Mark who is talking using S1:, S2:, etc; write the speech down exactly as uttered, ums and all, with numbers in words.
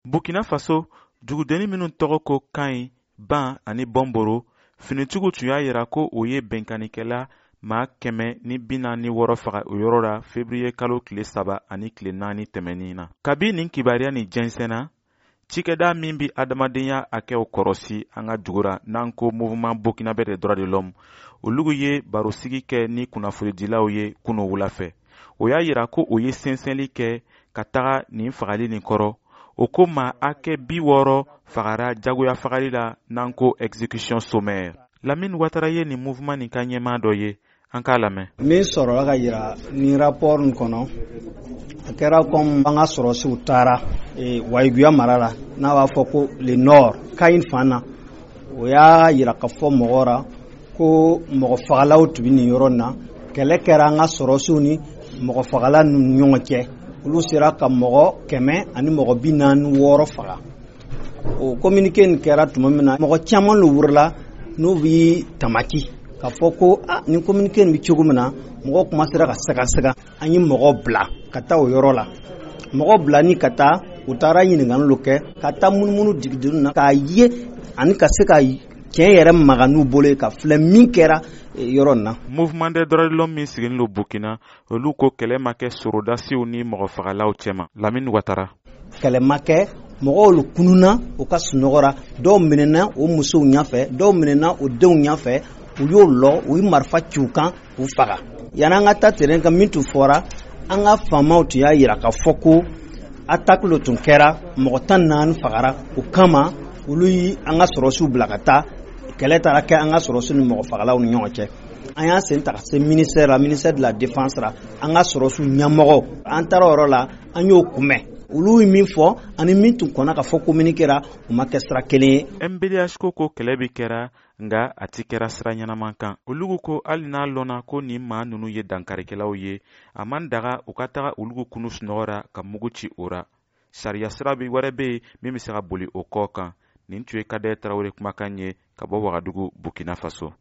S1: Burkina Faso, dugudenni minnu tɔgɔ ko Kayi, Ban ani Bɔnboro, finitigiw tun y'a yira ko o ye bɛnkannikɛla maa kɛmɛ ni bi naani wɔɔrɔ faga o yɔrɔ la fevriye kalo tile saba ani tile naani tɛmɛnin na. Kabi nin kibaruya nin jɛnsɛnna, cikɛda min bi adamadenya hakɛw kɔrɔsi an ka dugu ra, n'an ko Mouvement burkinabé des droits de l'homme, olugu ye barosigi kɛ ni kunnafonidilaw ye kunu wula fɛ. O y'a yira ko o ye sɛnsɛnli kɛ ka taga nin fagali nin kɔrɔ. O ko maa hakɛ bi wɔɔrɔ fagara jagoya fagali la, n'an ko exécution sommaire. Lamine Watara ye nin mouvement nin ka ɲɛmaa dɔ ye, an k'a lamɛn.
S2: Min sɔrɔla ka yira nin rapport nin kɔnɔ, a kɛra comme an ka sɔrɔsiw taara Wayiguya mara la, n'a b'a fɔ ko le nord, Kayin fan na. O y'a yira ka fɔ mɔgɔ ra ko mɔgɔ fagalaw tun bɛ nin yɔrɔ in na. Kɛlɛ kɛra an ka sɔrɔsiw ni mɔgɔ fagala ninnu ɲɔgɔn cɛ. Olu sera ka mɔgɔ kɛmɛ ani mɔgɔ bi naani wɔɔrɔ faga. O communiqué nin kɛra tuma min na, mɔgɔ caman de wurila n'u bi tamaki k'a fɔ ko ah, nin communiqué nin bɛ cogo min na, mɔgɔw kuma sera ka sɛgɛsɛgɛ. An ye mɔgɔ bila ka taa o yɔrɔ la. Mɔgɔ bila ni ka taa, u taara ɲininkali kɛ ka taa munumunu digideni na k'a ye ani ka se ka tiɲɛ yɛrɛ maga n'u bolo ye ka filɛ min kɛra yɔrɔ in na.
S1: Mouvement des droits de l'homme min sigilen don Burkina, olu ko kɛlɛ ma kɛ sorodasiw ni mɔgɔfagalaw cɛma. Lamine Watara.
S2: Kɛlɛ ma kɛ, mɔgɔw kununa u ka sunɔgɔ ra, dɔw minɛna o musow ɲɛfɛ, dɔw minɛna o denw ɲɛfɛ, u y'o lɔ, u ye marifa ci u kan k'u faga. Yanni an ka taa terrain kan, min tun fɔra, an ka faamaw tun y'a yira k'a fɔ ko attaque dɔ tun kɛra, mɔgɔ tan naani fagara. O kama olu yi an ka sɔrɔsiw bila ka taa. Kɛlɛ taara kɛ an ka sɔrɔsiw ni mɔgɔ fagalaw ni ɲɔgɔn cɛ. An y'an sen ta ka se ministère la, ministère de la défense la, an ka sɔrɔsiw ɲɛmɔgɔ. An taara o yɔrɔ la, an y'o kunbɛn. Olu ye min fɔ ani min tun kɔnna ka fɔ communiqué ra, o ma kɛ sira kelen ye.
S1: M B D H ko ko kɛlɛ bi kɛra, nga a ti kɛra sira ɲɛnaman kan. Olugu ko hali n'a lɔnna ko nin maa nunu ye dankarikɛlaw ye, a man daga u ka taga olugu kunu sunɔgɔ ra ka mugu ci o ra. Sariya sira bi wɛrɛ be yen min be se ka boli o kɔ kan. Nin tun ye Kadɛ Tarawele kumakan ye ka bɔ Wagadugu, Burkina Faso.